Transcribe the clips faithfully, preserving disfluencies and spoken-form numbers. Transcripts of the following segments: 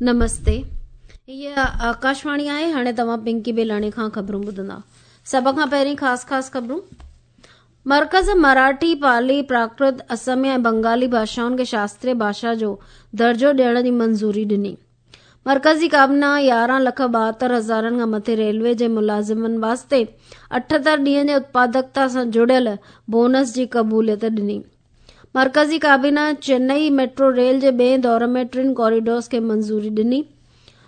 نمستي، هيء آڪاشواڻي آهي. هاڻي توهان پنڪي بيلاڻي کان خبرون ٻڌندا. سڀ کان پهرين خاص خاص خبرون. مرڪز مراٺي، پالي، پراڪرت، اسميا ۽ بنگالي ڀاشائن کي شاستريه ڀاشا جو درجو ڏيڻ جي منظوري ڏني. مرڪزي ڪابينا يارهن لک ٻاهتر هزارن کان مٿي ريلوي جي ملازمن واسطي اٺهتر ڏينهن جي اتپادڪتا سان جڙيل بونس جي قبوليت ڏني. مرڪزي ڪابينا چنئي ميٽرو ريل جي ٻئي دور ۾ ٽن ڪوريڊورز کي منظوري ڏني.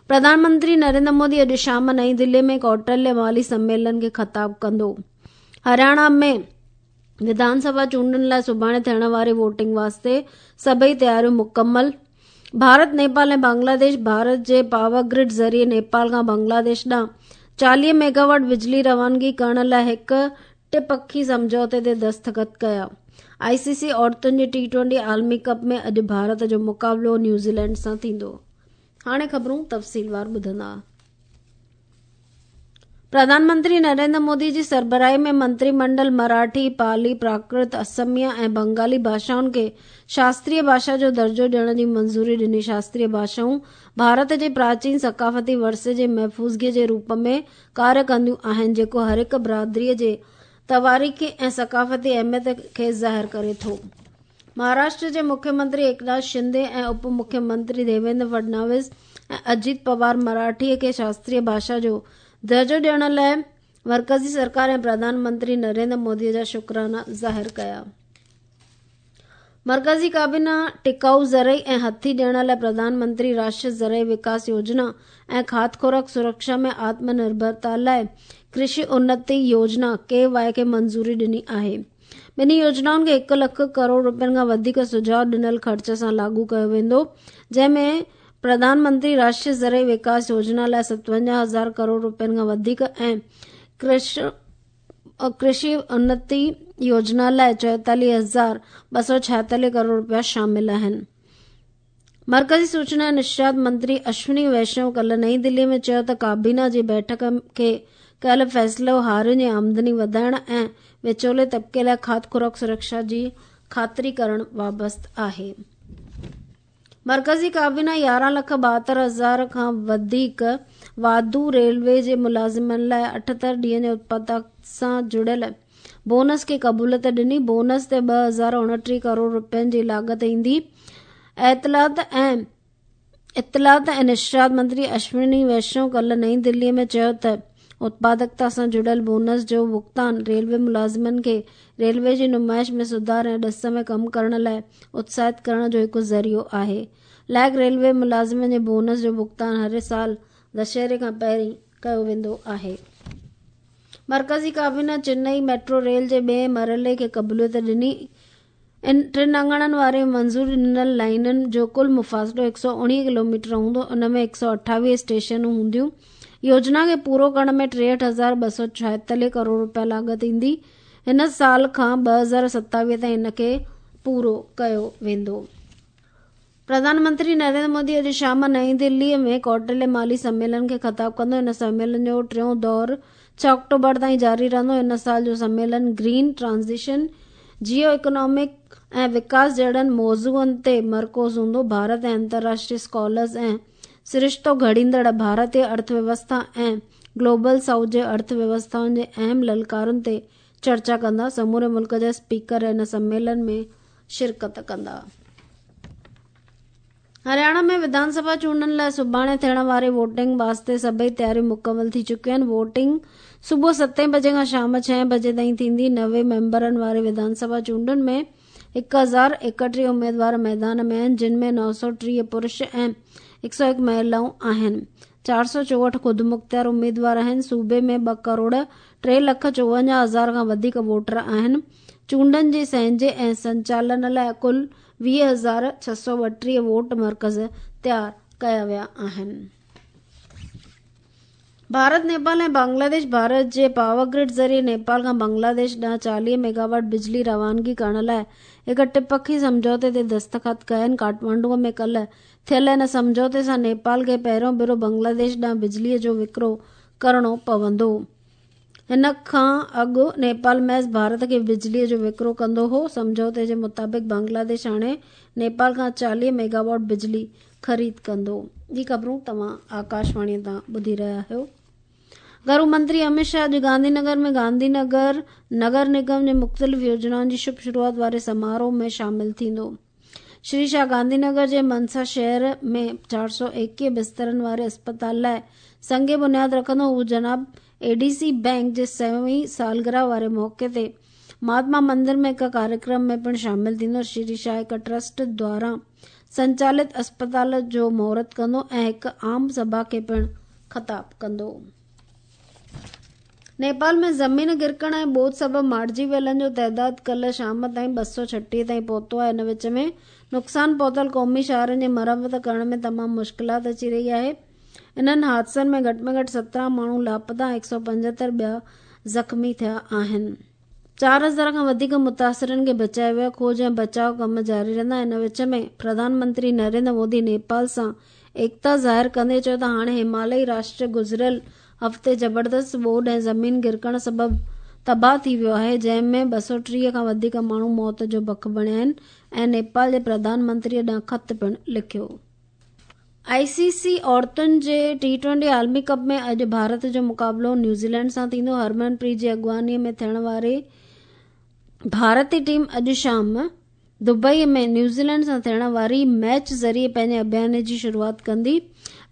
پرڌان منتري نريندر مودي اڄ شام نئين دلي ۾ ڪوٽليه مالي سميلن کي خطاب ڪندو. هرياڻا ۾ وڌان سڀا چونڊن لاءِ سڀاڻي ٿيڻ واري ووٽنگ واسطي سڀئي تياريون مڪمل. ڀارت، نيپال ۽ بنگلاديش ڀارت جي پاور گرڊ ذريعي نيپال کان بنگلاديش ڏانهن چاليهه ميگاواٽ بجلي روانگي ڪرڻ لاءِ هڪ ٽپکي سمجهوتي تي دستخط ڪيا. آئي سي سي عورتن جي ٽي ٽوئنٽي عالمي ڪپ ۾ اڄ ڀارت جو مقابلو نيوزيلينڊ سان ٿيندو. هاڻي خبرون تفصيلوار ٻڌندا. پرڌان منتري نريندر مودي جي سربراهي ۾ منتري منڊل مراٺي، پالي، پراڪرت، اسميا ۽ بنگالي ڀاشائن کي شاستريه ڀاشا جو درجو ڏيڻ جي منظوري ڏني. شاستريه ڀاشائون ڀارت جي پراچين ثقافتي ورثي جي محفوظگي جي روپ ۾ ڪاريه ڪنديون آهن، جيڪو هر هڪ برادري جي تواريخي ۽ ثقافتي اهميت کي ظاهر ڪري ٿو. مهاراشٽر جي مکيه منتري ايڪناٿ شندي ۽ اپ مکيه منتري ديويندر فڊنويس ۽ اجيت پوار مراٺي کي شاستريه ڀاشا جو درجو ڏيڻ لاءِ مرڪزي سرڪار ۽ پرڌان منتري نريندر مودي جا شڪرانا ظاهر ڪيا. مرڪزي ڪابينا ٽڪائو زرعي ۽ هٿي ڏيڻ لاءِ پرڌان منتري راشٽريه زرعي وڪاس يوجنا ۽ کاڌ خوراڪ سرڪشا ۾ آتم نرڀرتا لاءِ ڪرشي انتي يوجنا ڪي وائي کي منظوري ڏني آهي. ٻنهي يوجنائن کي هڪ لک ڪروڙ رپين کان وڌيڪ سجهاءُ ڏنل خرچ سان لاڳو ڪيو ويندو، جنهن ۾ پرڌان منتري راشٽريه زرعي وڪاس يوجنا لاءِ ستونجاهه هزار ڪروڙ رپين کان وڌيڪ ۽ ڪرشي انتي يوجنا لاءِ چوئيتاليهه هزار ٻه سؤ ڇائيتاليهه ڪروڙ رپيا شامل آهن. مرڪزي سوچنا ۽ نشريات منتري اشوني ويشنو ڪالهه نئين دلي ۾ چيو ته ڪابينا جي بيٺڪ کي ڪيل فيصلو هارين جي آمدني وڌائڻ ۽ وچولي طبقي لاءِ کاڌ خوراڪ سرڪشا جي خاطري ڪرڻ وابسته آهي. مرڪزي ڪابينا يارهن لک ٻاهتر هزار کان وڌيڪ واڌو ريلوي جي ملازمن لاءِ اٺهتر ڏينهن جي اتپادڪ سان جڙيل بونس کي قبوليت ڏني. بونس تي ٻه هزار اڻٽيهه ڪروڙ رپين جي لاڳت ايندي. اطلاعات ۽ اطلاعات ۽ نشريات منتري اشوني ويشنو ڪالهه نئين دلي ۾ چيو ته اتپادڪتا سان جڙيل بونس جو ڀگتان ريلوي ملازمن کي ريلوي جي نمائش ۾ سڌار ۽ ڏس ۾ ڪم ڪرڻ لاءِ اتساهت ڪرڻ جو هڪ ذريعو آهي. لائق ريلوي ملازمن جي بونس جو ڀگتان هر سال دشهري کان پهرين ڪيو ويندو آهي. مرڪزي ڪابينا چنئي ميٽرو ريل جي ٻئي مرحلي کي قبوليت ڏني. ان ٽن اڱڻن واري منظوري ڏنل لائينن جو ڪل مفاصلو هڪ سؤ اڻويهه ڪلوميٽر هوندو. ان ۾ هڪ سؤ اٺاويهه اسٽيشنون هونديون. يوجنا کي پورو ڪرڻ ۾ ٽيهٺ هزار ٻه سؤ ڇائيتاليهه ڪروڙ رپيا لاڳت ايندي. هن سال کان ٻه هزار ستاويهه تائين هن کي پورو ڪيو ويندو. پرڌان منتري نريندر مودي اڄ شام نئين دلي ۾ ڪوٽليه مالي سميلن کي خطاب ڪندو. هن سميلن جو ٽيون دور ڇهه آڪٽوبر تائين جاري رهندو. هن سال جو سميلن گرين ٽرانزيشن، جيو اڪنامڪ ۽ وڪاس جهڙن موضوعن تي مرڪوز هوندو. ڀارت ۽ انترراشٽريه اسڪالرز ۽ سرشتو گهڙيندڙ ڀارتيه ارٿ ويوسٿا ۽ گلوبل سائوٿ جي ارٿ ويوسٿائن جي اهم للڪارن تي چرچا ڪندا. سموري ملڪ جا اسپيڪر هن سميلن ۾ شرڪت ڪندا. هرياڻا ۾ وڌان سڀا چونڊن لاءِ سڀاڻي ٿيڻ واري ووٽنگ واسطي سڀئي تياريون مڪمل ٿي چڪيون آهن. ووٽنگ صبح ستين بجي کان شام ڇهين بجي تائين ٿيندي. نوي ميمبرن واري وڌان سڀا چونڊن ۾ هڪ هزار ايڪٽيهه اميدوار ميدان ۾ آهن، جن ۾ نو سؤ ٽيهه پرش ۽ هڪ سؤ هڪ مهلائون آهن. چار سؤ چوهٺ خودمختيار اميدوار آهن. صوبي ۾ ٻه ڪروڙ ٽي لک چوونجاهه هزار کان وڌيڪ ووٽر آهن. چونڊن جي سهنجي ۽ سنچالن لاءِ ڪل ويهه هزار ڇهه سؤ ٻٽيهه ووٽ مرڪز تيار ڪيا ويا آهن. ڀارت، نيپال ۽ بنگلاديش ڀارت جي پاور گرڊ ذريعي نيپال کان بنگلاديش ڏانهن چاليهه ميگاواٽ بجلي روانگي ڪرڻ لاءِ هڪ ٽپکي سمجهوتي تي دستخط ڪيا آهن. ڪاٺمانڊو ۾ ڪالهه ٿيل هن سمجهوتي سان نيپال کي پهريون ڀيرو بنگلاديش ڏانهن بجليءَ جو وڪرو ڪرڻو پوندو. هن کان اڳ نيپال محض ڀارت کي بجليءَ جو وڪرو ڪندو هو. سمجهوتي جي مطابق بنگلاديش هاڻي نيپال کان چاليهه ميگاواٽ بجلي خريد ڪندو. هي خبرون توهان آڪاشواڻي تان ٻڌي رهيا آهيو. گهرو منتري امت شاهه اڄ گانڌي نگر ۾ گانڌي نگر نگر نگم جي مختلف يوجنائن جي شڀ شروعات واري سماروهه ۾ شامل ٿيندو. شري شاهه گانڌي نگر جي منسا شهر ۾ چار سؤ ايڪويهه بسترن واري اسپتال لاءِ سنگ بنياد رکندو. هو جناب اي ڊي سي بينڪ جي سوين سالگرهه واري موقعي تي مهاتما مندر ۾ هڪ ڪاريڪرم ۾ پڻ شامل ٿيندو. شري شاهه هڪ ٽرسٽ دواران سنچالت اسپتال جو مهورت ڪندو ۽ هڪ عام سڀا کي پڻ خطاب ڪندو. نيپال ۾ زمين گرڪڻ ۽ ٻوڏ سبب مارجي ويلن جو تعداد ڪالهه شام تائين ٻه سؤ ڇٽيهه تائين پهتو آهي. ان وچ ۾ نقصان پهتل قومي شاهراهن جي مرمت ڪرڻ ۾ تمام مشڪلات اچي رهي آهي. انهن حادثن ۾ گهٽ ۾ گهٽ سترهن ماڻهو لاپتا ۽ هڪ سؤ پنجهتر ٻيا زخمي ٿيا آهن. چار هزار کان وڌيڪ متاثرن کي بچايو ويو. کوج ۽ بچاء ڪم جاري رهندا. ان وچ ۾ پرڌان منتري نريندر مودي نيپال سان ايڪتا ظاهر ڪندي چيو ته هاڻي همالئي راشٽر گذريل هفتي زبردست ٻوڏ ۽ زمين گرڪڻ سبب تباهه ٿي ويو آهي، جنهن ۾ ٻه سؤ ٽيهه کان وڌيڪ ماڻهو موت جو بک بڻيا آهن ۽ نيپال جي پرڌان منتري ڏانهن خط پڻ لکيو. آء سي سي عورتن جي ٽي ٽوئنٽي عالمي ڪپ ۾ اڄ ڀارت جو مقابلو نيوزيلينڊ سان ٿيندو. هرمن پريت جي اڳواڻي ۾ ٿيڻ واري ڀارتي ٽيم اڄ شام دبئي ۾ نيوزيلينڊ سان ٿيڻ واري ميچ ذريعي پنهنجي ابيان جي شروعات ڪندي.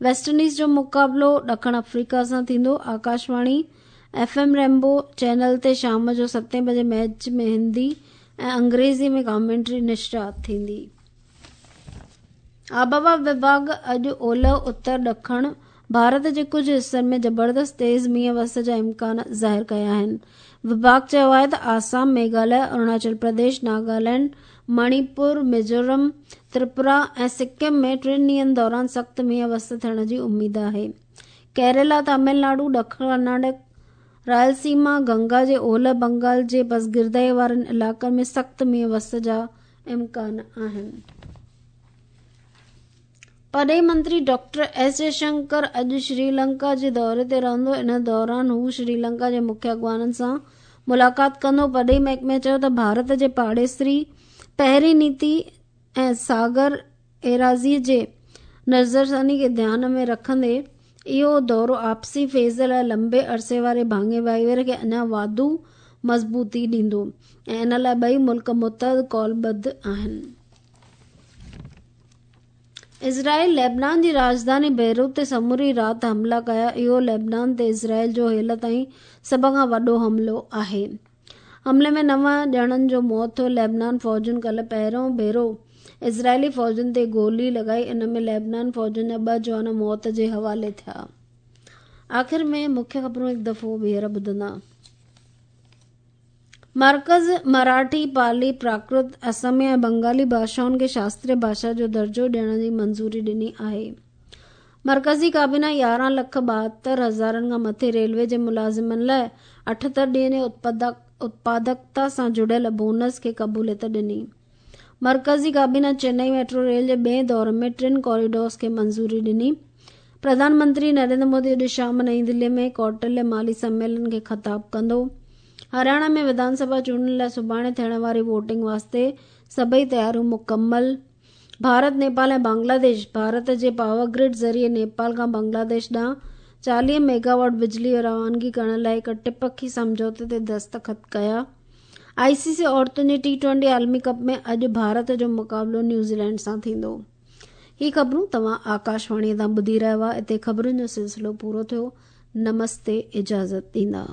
ويسٽ انڊيز جو مقابلو ڏکڻ آفريڪا سان ٿيندو. Akashvani F M Rainbow channel تي شام جو ستين بجي ميچ ۾ هندي ۽ انگريزي ۾ ڪامينٽري نشرات ٿيندي. آبهوا وڀاڳ اڄ اولهه اتر ڏکڻ ڀارت جي ڪجهه حصن ۾ زبردست تيز مينهن وس جا امڪان ظاهر ڪيا آهن. وڀاڳ چيو آهي ته آسام، ميگهاليه، اروناچل پرديش، ناگالينڊ، مڻيپور، ميزورم، تريپورا ۽ سڪم ۾ ٽن ڏينهن دوران سخت مينهن وس ٿيڻ جي اميد آهي. ڪيرالا، تامل ناڊو، ڏکڻ ڪرناٽڪ، رائلسيما، گنگا جي اولهه بنگال جي پسگردائي وارن علائقن ۾ سخت مينهن وس جا امڪان آهن. پرڏيهي منتري ڊاڪٽر ايس جئشنڪر اڄ شري لنڪا جي دوري تي رهندو. ان دوران هو شري لنڪا جي مکيه اڳواڻن سان ملاقات ڪندو. پرڏيهي محڪمي چيو ته ڀارت جي پاڙيسري پهرين نيتي ۽ ساگر ايراضي جي نظرثاني کي ڌيان ۾ رکندي اهو دورو آپسي فيض لاءِ لمبي عرصي واري ڀاڱي ڀائيواري کي اڃا واڌو مضبوطي ڏيندو ۽ ان لاءِ ٻئي ملڪ متحد قولبڌ آهن. اسرائيل ليبنان جي راڄڌاني بيروت تي سموري رات حملا ڪيا. اهو ليبنان تي اسرائيل جو هيل تائين سڀ کان وڏو حملو آهي. حملي ۾ نو ڄڻن جو موت ٿيو. ليبنان فوجن ڪالهه پهريون ڀيرو اسرائيلي فوجن تي گولي لڳائي. ان ۾ ليبنان فوجن جا ٻه جوان موت جي حوالي ٿيا. آخر ۾ مکيه خبرون هڪ دفعو ٻيهر ٻڌندا. مرڪز مراٺي، پالي، پراڪرت، اسميا ۽ بنگالي ڀاشائن کي شاستريه ڀاشا جو درجو ڏيڻ جي منظوري ڏني آهي. مرڪزي ڪابينا يارهن لک ٻاهتر هزارن کان مٿي ريلوي جي ملازمن لاءِ اٺهتر ڏينهن جي اتپادڪتا سان جڙيل بونس کي قبوليت ڏني. مرڪزي ڪابينا چنئي ميٽرو ريل جي ٻئي دور ۾ ٽن ڪوريڊورز کي منظوري ڏني. پرڌان منتري نريندر مودي اڄ شام نئين دلي ۾ ڪوٽليه مالي سميلن کي خطاب ڪندو. هرياڻا ۾ وڌان سڀا چونڊن لاءِ سڀاڻي ٿيڻ واري ووٽنگ واسطي سڀئي تياريون مڪمل. ڀارت، نيپال ۽ بنگلاديش ڀارت جي پاور گرڊ ذريعي نيپال کان بنگلاديش ڏانهن چاليهه ميگاواٽ بجلي روانگي ڪرڻ لاءِ هڪ ٽپکي سمجهوتي تي دستخط ڪيا. آء سي سي عورتن جي ٽي ٽوئنٽي عالمي ڪپ ۾ اڄ ڀارت جو مقابلو نيوزيلينڊ سان ٿيندو. هي خبرون توهان آڪاشواڻي تان ٻڌي رهيا هئا. هتي خبرن جو سلسلو پورو ٿيو. نمستي، اجازت ڏيندا.